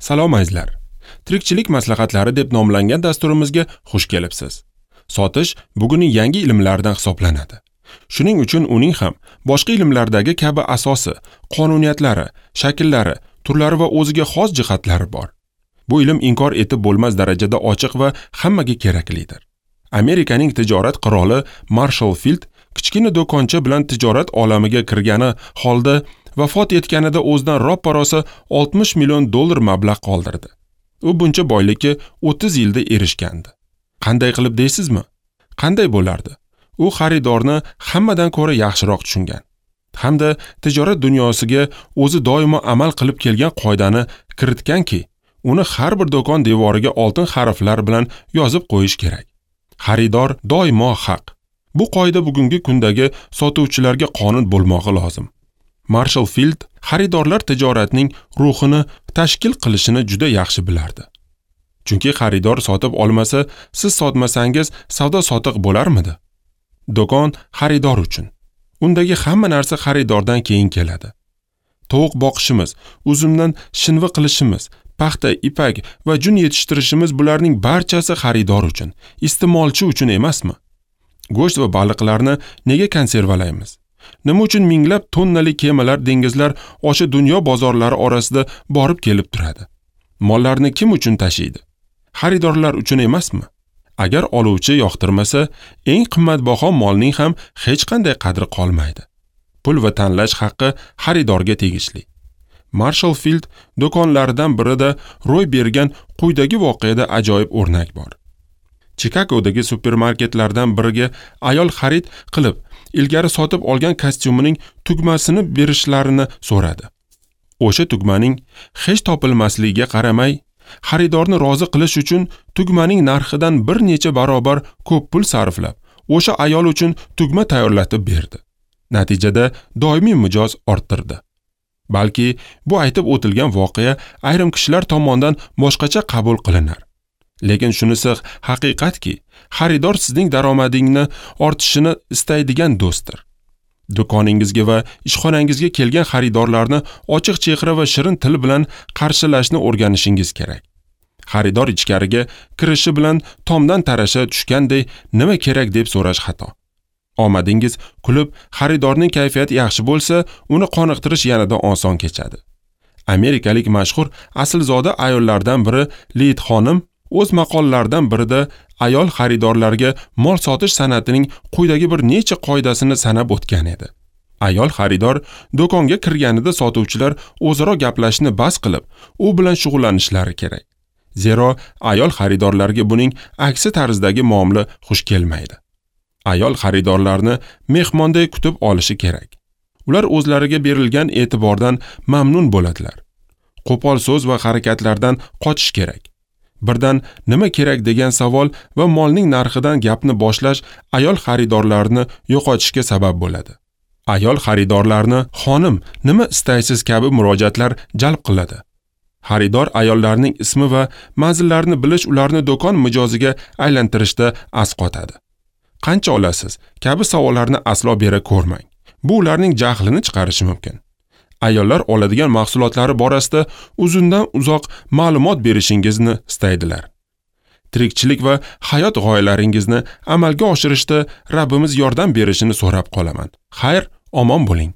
Salom azizlar. Tirikchilik maslahatlari deb nomlangan dasturimizga xush kelibsiz. Sotish bugunning yangi ilmlaridan hisoblanadi. Shuning uchun uning ham boshqa ilmlardagi kabi asosi, qonuniyatlari, shakllari, turlari va o'ziga xos jihatlari bor. Bu ilm inkor etib bo'lmas darajada ochiq va hammaga keraklidir. Amerikaning tijorat qiroli Marshall Field kichkina do'koncha bilan tijorat olamiga kirgani holda vafot etganida o'zidan roppa-rosa $60 million mablag' qoldirdi. U buncha boylikka 30 yilda erishgandi. Qanday qilib deysizmi? Qanday bo'lardi? U xaridorni hammadan ko'ra yaxshiroq tushungan hamda tijorat dunyosiga o'zi doimo amal qilib kelgan qoidani kiritganki, uni har bir do'kon devoriga oltin harflar bilan yozib qo'yish kerak. Xaridor doimo haq. Bu qoida bugungi kundagi sotuvchilarga qonun bo'lmog'i lozim. Marshall Field xaridorlar tijoratning ruhini tashkil qilishini juda yaxshi bilardi. Chunki xaridor sotib olmasa, siz sotmasangiz savdo sotiq bo'larmidi? Do'kon xaridor uchun. Undagi hamma narsa xaridordan keyin keladi. Tovuq boqishimiz, uzumdan shinva qilishimiz, paxta, ipak va jun yetishtirishimiz bularning barchasi xaridor uchun, iste'molchi uchun emasmi? Go'sht va baliqlarni nega konservalaymiz? Nima uchun minglab tonnali kemalar dengizlar osha dunyo bozorlari orasida borib kelib turadi? Mollarni kim uchun tashiydi? Xaridorlar uchun emasmi? Agar oluvchi yoqtirmasa, eng qimmatbaho molning ham hech qanday qadri qolmaydi. Pul va tanlash haqqi xaridorga tegishli. Marshall Field do'konlaridan birida ro'y bergan quyidagi voqeada ajoyib o'rnak bor. Chikagodagi supermarketlardan biriga ayol xarid qilib, ilgari sotib olgan kostyumining tugmasini berishlarini so'radi. O'sha tugmaning hech topilmasligiga qaramay, xaridorni rozi qilish uchun tugmaning narxidan bir necha barobar ko'p pul sarflab, o'sha ayol uchun tugma tayyorlatib berdi. Natijada doimiy mijoz orttirdi. Balki bu aytib o'tilgan voqea ayrim kishilar tomonidan boshqacha qabul qilinar. Lekin shunisi haqiqatki, xaridor sizning daromadingizni ortishini istaydigan do'stdir. Do'koningizga va ishxonangizga kelgan xaridorlarni ochiq chehra va shirin til bilan qarshilashni o'rganishingiz kerak. Xaridor ichkariga kirishi bilan tomdan tarasha tushganday nima kerak deb so'rash xato. Omadingiz kulib, xaridorning kayfiyati yaxshi bo'lsa, uni qoniqtirish yanada oson kechadi. Amerikalik mashhur aslzoda ayollardan biri Lid xonim o'z maqolalaridan birida ayol xaridorlarga mol sotish san'atining quyidagi bir necha qoidasini sanab o'tgan edi. Ayol xaridor do'konga kirganida sotuvchilar o'zaro gaplashishni bas qilib, u bilan shug'ullanishlari kerak. Zero ayol xaridorlarga buning aksi tarzdagi muomala xush kelmaydi. Ayol xaridorlarni mehmonday kutib olishi kerak. Ular o'zlariga berilgan e'tibordan mamnun bo'ladilar. Qo'pol so'z va harakatlardan qochish kerak. Birdan nima kerak degan savol va molning narxidan gapni boshlash ayol xaridorlarni yo'qotishga sabab bo'ladi. Ayol xaridorlarni xonim, nima istaysiz kabi murojaatlar jalb qiladi. Xaridor ayollarning ismi va manzillarini bilish ularni do'kon mijoziga aylantirishda asqotadi. Qancha olasiz kabi savollarni aslo bera ko'rmang. Bu ularning jahlini chiqarishi mumkin. Ayollar oladigan mahsulotlari borasida uzundan uzoq ma'lumot berishingizni istaydilar. Tirikchilik va hayot g'oyalaringizni amalga oshirishda Rabbimiz yordam berishini so'rab qolaman. Xayr, omon bo'ling.